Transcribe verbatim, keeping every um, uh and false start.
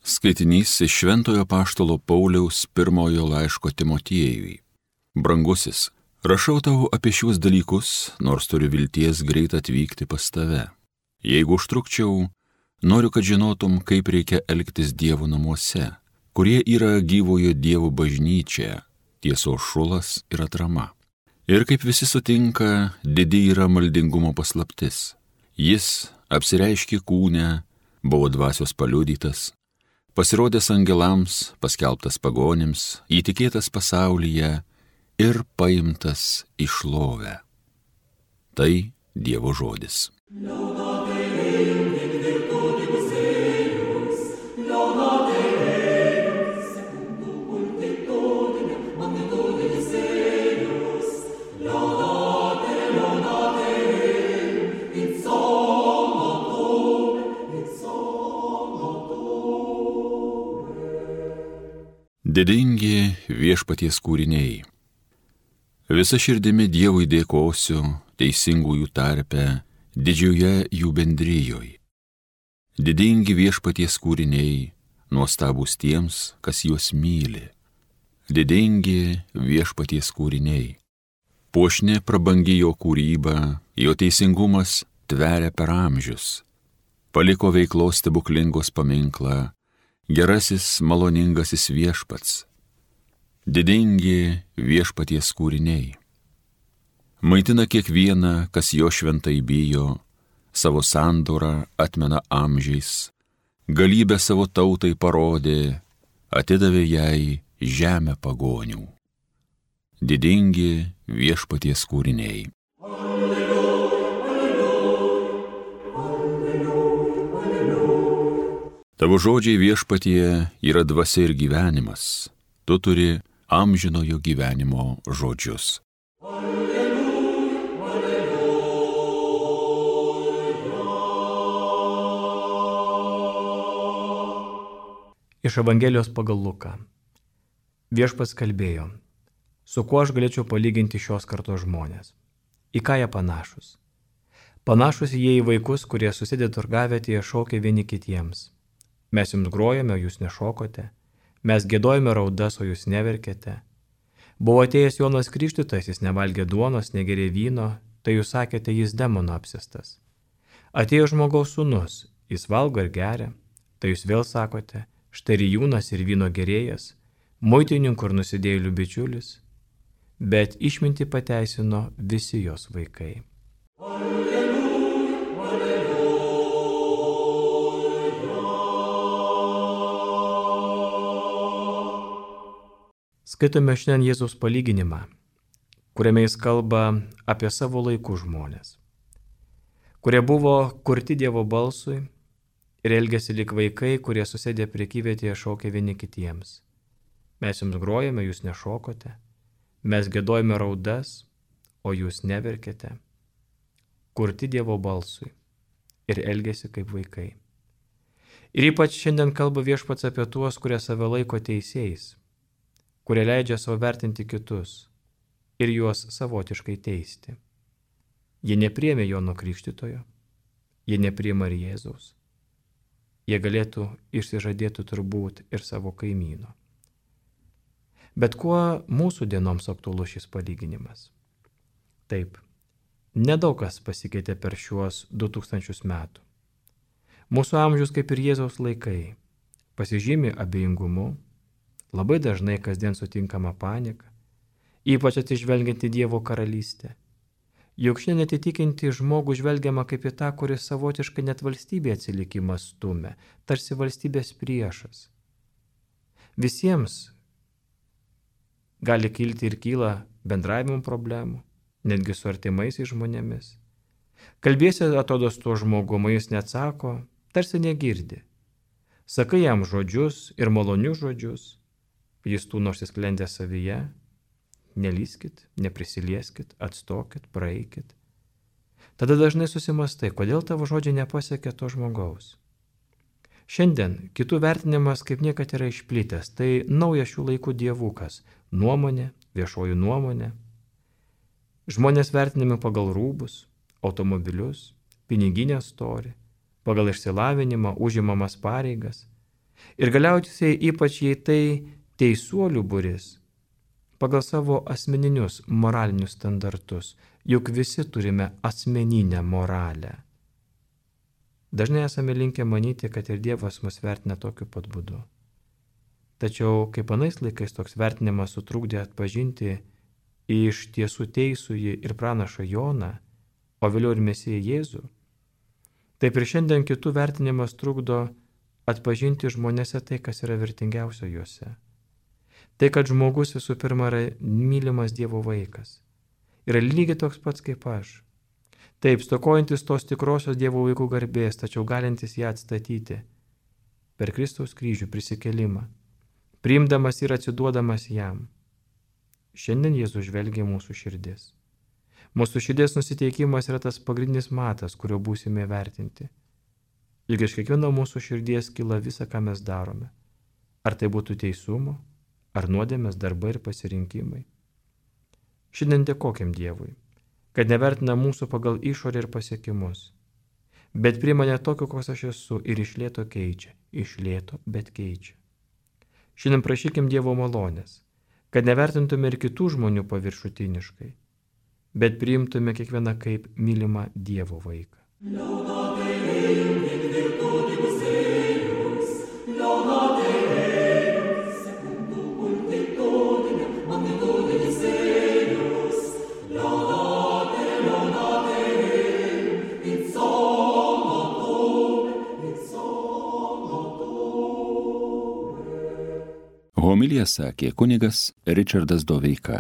Skaitinys iš Šventojo apaštalo Pauliaus pirmojo laiško Timotiejui. Brangusis, rašau tau apie šiuos dalykus, nors turiu vilties greit atvykti pas tave. Jeigu užtrukčiau, noriu, kad žinotum, kaip reikia elgtis Dievo namuose, kurie yra gyvojo Dievo bažnyčia, tiesos šulas ir atrama. Ir kaip visi sutinka, didi yra maldingumo paslaptis. Jis apsireiškė kūne, buvo dvasios paliudytas, pasirodęs angelams, paskelbtas pagonims, įtikėtas pasaulyje ir paimtas į šlovę. Tai Dievo žodis. Didingi viešpaties kūriniai. Visa širdimi Dievui dėkosiu, teisingųjų tarpe, didžioje jų bendrijoje. Didingi viešpaties kūriniai, nuostabūs tiems, kas juos myli. Didingi viešpaties kūriniai. Puošni prabangi jo kūryba, jo teisingumas tveria per amžius. Paliko veiklos stebuklingos paminklą, gerasis maloningasis viešpats. Didingi viešpaties kūriniai. Maitina kiekvieną, kas jo šventai bijo, savo sandorą atmena amžiais, galybę savo tautai parodė, atidavė jai žemę pagonių. Didingi viešpaties kūriniai. Tavo žodžiai viešpatie yra dvasia ir gyvenimas. Tu turi amžinojo gyvenimo žodžius. Alleluja, alleluja. Iš Evangelijos pagal Luką. Viešpats kalbėjo, su kuo aš galėčiau palyginti šios kartos žmonės. Į ką jie panašus? Panašus jie į vaikus, kurie susidė turgavietėje šaukia vieni kitiems. Mes jums grojame, jūs nešokote. Mes giedojame raudas, o jūs neverkėte. Buvo atėjęs Jonas Krikštytojas, jis nevalgė duonos, negerė vyno, tai jūs sakėte, jis demono apsėstas. Atėjo žmogaus sūnus, jis valgo ir geria, tai jūs vėl sakote, štai rijūnas ir vyno gerėjas, muitininkų ir nusidėjėlių bičiulis, bet išmintį pateisino visi jos vaikai. Skaitome šiandien Jėzaus palyginimą, kuriame jis kalba apie savo laikų žmonės, kurie buvo kurti Dievo balsui ir elgėsi lyg vaikai, kurie susėdė prekyvietėje šaukia vieni kitiems. Mes jums grojame, jūs nešokote, mes giedojame raudas, o jūs neverkėte. Kurti Dievo balsui ir elgėsi kaip vaikai. Ir ypač šiandien kalba Viešpats apie tuos, kurie save laiko teisėjais, kurie leidžia savo vertinti kitus ir juos savotiškai teisti. Jie nepriėmė Jono Krikštytojo, jie nepriėmė ir Jėzaus. Jie galėtų išsižadėti turbūt ir savo kaimyno. Bet kuo mūsų dienoms aktualus šis palyginimas? Taip, nedaug kas pasikeitė per šiuos du tūkstančius metų. Mūsų amžius, kaip ir Jėzaus laikai, pasižymi abejingumu, labai dažnai kasdien sutinkama panika, ypač atsižvelgiant į Dievo karalystę. Juk šiandien atitikinti žmogų žvelgiama kaip į tą, kuris savotiškai net valstybė atsilikimą stumia, tarsi valstybės priešas. Visiems gali kilti ir kyla bendravimo problemų, netgi su artimaisiais žmonėmis. Kalbėsi atrodo su tuo žmogumi, jis neatsako, tarsi negirdi. Sakai jam žodžius ir malonius žodžius, jis tų nors įsklendė savyje, nelyskit, neprisilieskit, atstokit, praeikit. Tada dažnai susimastai, kodėl tavo žodžiai nepasiekia to žmogaus. Šiandien kitų vertinimas kaip niekad yra išplitęs, tai naujas šių laikų dievukas, nuomonė, viešoji nuomonė. Žmonės vertinami pagal rūbus, automobilius, piniginę storį, pagal išsilavinimą, užimamas pareigas. Ir galiausiai ypač jei tai teisuolių būris, pagal savo asmeninius moralinius standartus, juk visi turime asmeninę moralę. Dažnai esame linkę manyti, kad ir Dievas mus vertina tokiu pat būdu. Tačiau kaip anais laikais toks vertinimas sutrukdė atpažinti iš tiesų teisųjį ir pranašą Joną, o vėliau ir Mesiją Jėzų, taip ir šiandien kitų vertinimas trukdo atpažinti žmonėse tai, kas yra vertingiausio juose. Tai, kad žmogus visų pirma yra mylimas Dievo vaikas. Yra lygiai toks pats kaip aš. Taip, stokojantis tos tikrosios Dievo vaikų garbės, tačiau galintis ją atstatyti per Kristaus kryžių prisikėlimą, priimdamas ir atsiduodamas jam. Šiandien Jėzus žvelgia mūsų širdis. Mūsų širdies nusiteikimas yra tas pagrindinis matas, kurio būsime vertinti. Juk iš kiekvieno mūsų širdies kyla visa, ką mes darome. Ar tai būtų teisumo, ar nuodėmės darbai ir pasirinkimai. Šiandien dėkokim Dievui, kad nevertina mūsų pagal išorę ir pasiekimus, bet priima ne tokio, koks aš esu ir iš lėto keičia, iš lėto, bet keičia. Šiandien prašykim Dievo malonės, kad nevertintume ir kitų žmonių paviršutiniškai, bet priimtume kiekvieną kaip mylimą Dievo vaiką. Homiliją sakė kunigas Ričardas Doveika.